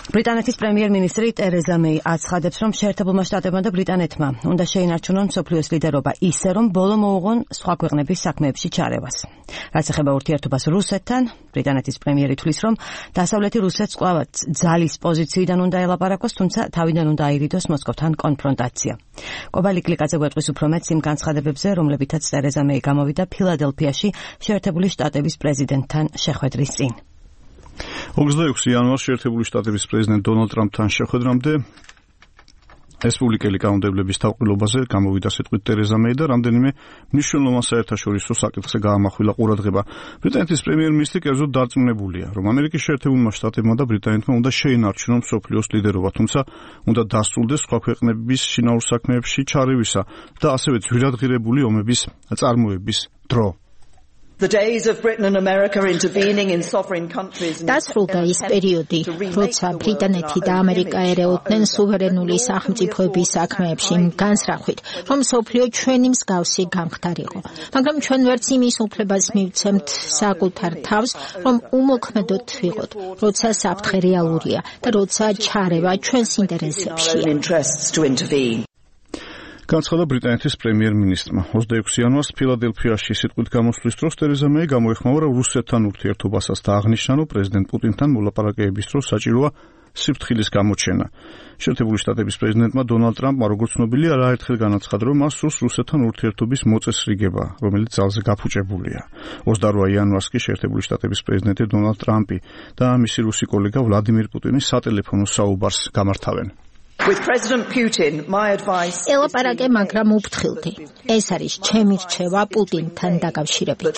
ბრიტანეთის პრემიერ-მინისტრი ტერეზა მეი აცხადებს, რომ შეერთებულმა შტატებმა და ბრიტანეთმა უნდა შეინარჩუნონ მსოფლიოს ლიდერობა ისე, რომ ბოლო მოუღონ სხვა ქვეყნების საქმეებში ჩარევას. რაც ეხება ურთიერთობას რუსეთთან, ბრიტანეთის პრემიერი თვლის, რომ დასავლეთი რუსეთს კვლავაც ძალის პოზიციიდან უნდა ელაპარაკოს, თუმცა თავიდან უნდა აირიდოს მოსკოვთან კონფრონტაცია. კობალი კლიკაძე გვეტყვის უფრო მეტს იმ განცხადებებზე, რომლებითაც ტერეზა მეი გამოვიდა ფილადელფიაში შეერთებული შტატების პრეზიდენტთან შეხვედრის წინ. 26 იანვარს შეერთებული შტატების პრეზიდენტ დონალდ ტრამპთან შეხვედრამდე რესპუბლიკელი კანონმდებლების თავყრილობაზე გამოვიდა სიტყვით ტერეზა მეი და რამდენიმე მნიშვნელოვან საერთაშორისო საკითხზე გაამახვილა ყურადღება. ბრიტანეთის პრემიერ-მინისტრი კერძოდ დარწმუნებულია, რომ ამერიკის შეერთებულმა შტატებმა და ბრიტანეთმა უნდა შეინარჩუნონ მსოფლიოს ლიდერობა, თუმცა უნდა დასრულდეს სხვა ქვეყნების შინაურ საქმეებში ჩარევისა და ასევე ძვირადღირებული ომების წარმოების დრო. დასრულდა ის პერიოდი, როცა ბრიტანეთი და ამერიკა ერეოდნენ სუვერენული სახელმწიფოების საქმეებში იმ განსხვავებით, რომ მსოფლიო ჩვენი მსგავსი გამხდარიყო. მაგრამ ჩვენ ვერც იმის უფლებას მივცემთ საკუთარ თავს, რომ უმოქმედოდ ვიყოთ, როცა საფრთხე რეალურია და როცა ჩარევა ჩვენს ინტერესებშია. განცხადა ბრიტანეთის პრემიერ-მინისტრმა 26 იანვარს ფილადელფიაში სიტყვით გამოსვლის დროს ტერეზა მეი გამოეხმაურა რუსეთთან ურთიერთობასაც და აღნიშნა, რომ პრეზიდენტ პუტინთან მოლაპარაკებების დროს საჭიროა სიფრთხილის გამოჩენა. შეერთებული შტატების პრეზიდენტმა დონალდ ტრამპმა, როგორც ცნობილია, არაერთხელ განაცხადა, რომ მას სურს რუსეთთან ურთიერთობის მოწესრიგება, რომელიც ძალზე გაფუჭებულია. 28 იანვარს კი შეერთებული შტატების პრეზიდენტი დონალდ ტრამპი და მისი რუსი კოლეგა ვლადიმირ პუტინი სატელეფონო საუბარს გამართავენ. ელაპარაკე, მაგრამ უფრთხილდი. ეს არის ჩემი რჩევა პუტინთან დაკავშირებით.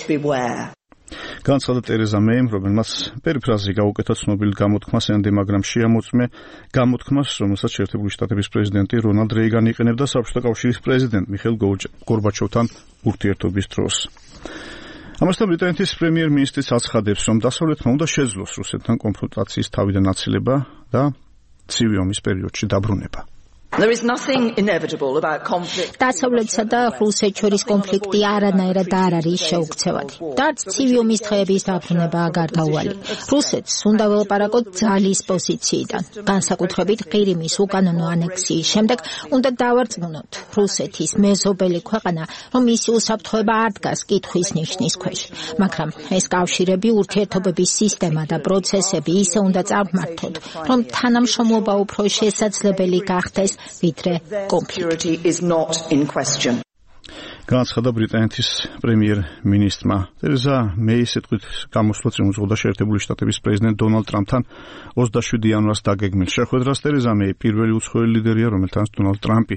განცხადა ტერეზა მეიმ, რომელმაც პერიფრაზი გაუკეთა ცნობილ გამოთქმას ენდი, მაგრამ შეამოწმე გამოთქმას, რომელსაც შეერთებული შტატების პრეზიდენტი რონალდ რეიგანი იყენებდა საბჭოთა კავშირის პრეზიდენტ მიხეილ გორბაჩოვთან ურთიერთობის დროს. ამასთან ბრიტანეთის პრემიერ-მინისტრიც აცხადებს, რომ დასავლეთმა უნდა შეძლოს რუსეთთან კონფრონტაციის თავიდან აცილება და ცივი ომის პერიოდში დაბრუნება. დასავლეთსა და რუსეთს შორის კონფლიქტი არანაირად არ არის შეუქცევადი. და არც ცივი ომის დღეების დაბრუნებაა გარდაუვალი. რუსეთს უნდა ველაპარაკოთ ძალის პოზიციიდან. განსაკუთრებით ყირიმის უკანონო ანექსიის შემდეგ უნდა დავარწმუნოთ რუსეთის მეზობელი ქვეყანა, რომ მისი უსაფრთხოება არ დგას კითხვის ნიშნის ქვეშ. მაგრამ ეს კავშირები, ურთიერთობების სისტემა და პროცესები ისე უნდა წარმართოთ, რომ თანამშრომლობა უფრო შესაძლებელი გახდეს ვიდრე კონფლიქტი. განაცხადა ბრიტანეთის პრემიერ-მინისტრმა. ტერეზა მეი სიტყვით გამოსვლა წინ უძღოდა შეერთებული შტატების პრეზიდენტ დონალდ ტრამპთან 27 იანვარს დაგეგმილ შეხვედრას. ტერეზა მეი პირველი უცხოელი ლიდერია, რომელთანაც დონალდ ტრამპი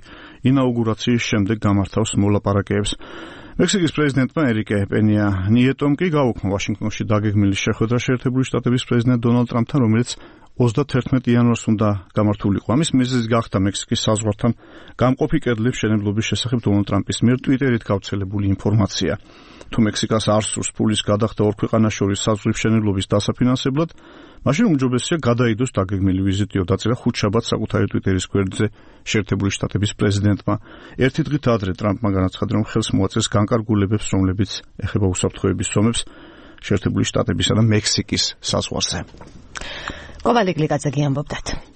ინაუგურაციის შემდეგ გამართავს მოლაპარაკებებს. მექსიკის პრეზიდენტმა ერიკე პენია ნიეტომ კი გაუქმო ვაშინგტონში დაგეგმილი შეხვედრა შეერთებული შტატების პრეზიდენტ დონალდ ტრამპთან, რომელიც 31 იანვარს უნდა გამართულიყო. ამის მიზეზი გახდა მექსიკის საზღვართან გამყოფი კედლების მშენებლობის შესახებ დონალდ ტრამპის მიერ ტვიტერით გავრცელებული ინფორმაცია. თუ მექსიკას არ სურს ფულის გადახდა ორ ქვეყანას შორის საზღვრის მშენებლობის დასაფინანსებლად, მაშინ უმჯობესია გადაიდოს დაგეგმილი ვიზიტი, დაწერა ხუთშაბათს საკუთარი ტვიტერის გვერდზე შეერთებული შტატების პრეზიდენტმა. ერთი დღით ადრე ტრამპმა განაცხადა, რომ ხელს მოაწეს განკარგულებებს, რომლებიც ეხება უსაფრთხოების ზომებს შეერთებული შტატებისა და მექსიკის საზღვარზე. კობალი კლიკაძე გიამბობდათ.